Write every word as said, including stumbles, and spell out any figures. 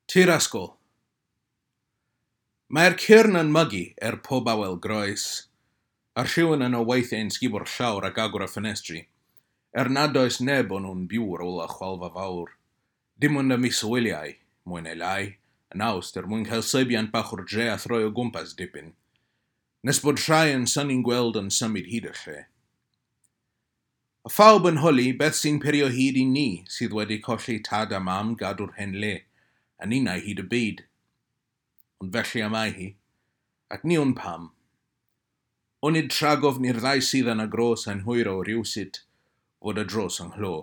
Tir ysgol. Mae'r cyrn yn mygu er pob awel groes, a rhywun yno weithiau'n sgubo'r llawr ac agor y ffenestri, er nad oes neb o'n nhw'n byw ar ôl y chwalfa fawr. Dim ond y miswyliau, mwy neu lai, yn Awst er mwyn cael seibiant bach o'r dre a throi o gwmpas dipyn, nes bod rhai yn synnu'n gweld yn symud hyd y lle. A phawb yn holi beth sy'n peri o hyd i ni sydd wedi colli tad a mam gadw'r hen le, a ninnau hyd y byd. Ond felly y mae hi, ac ni wn pam. Onid rhag ofn i'r ddau sydd yn y gros yn hwyro rywsut fod y dros yng nghlo.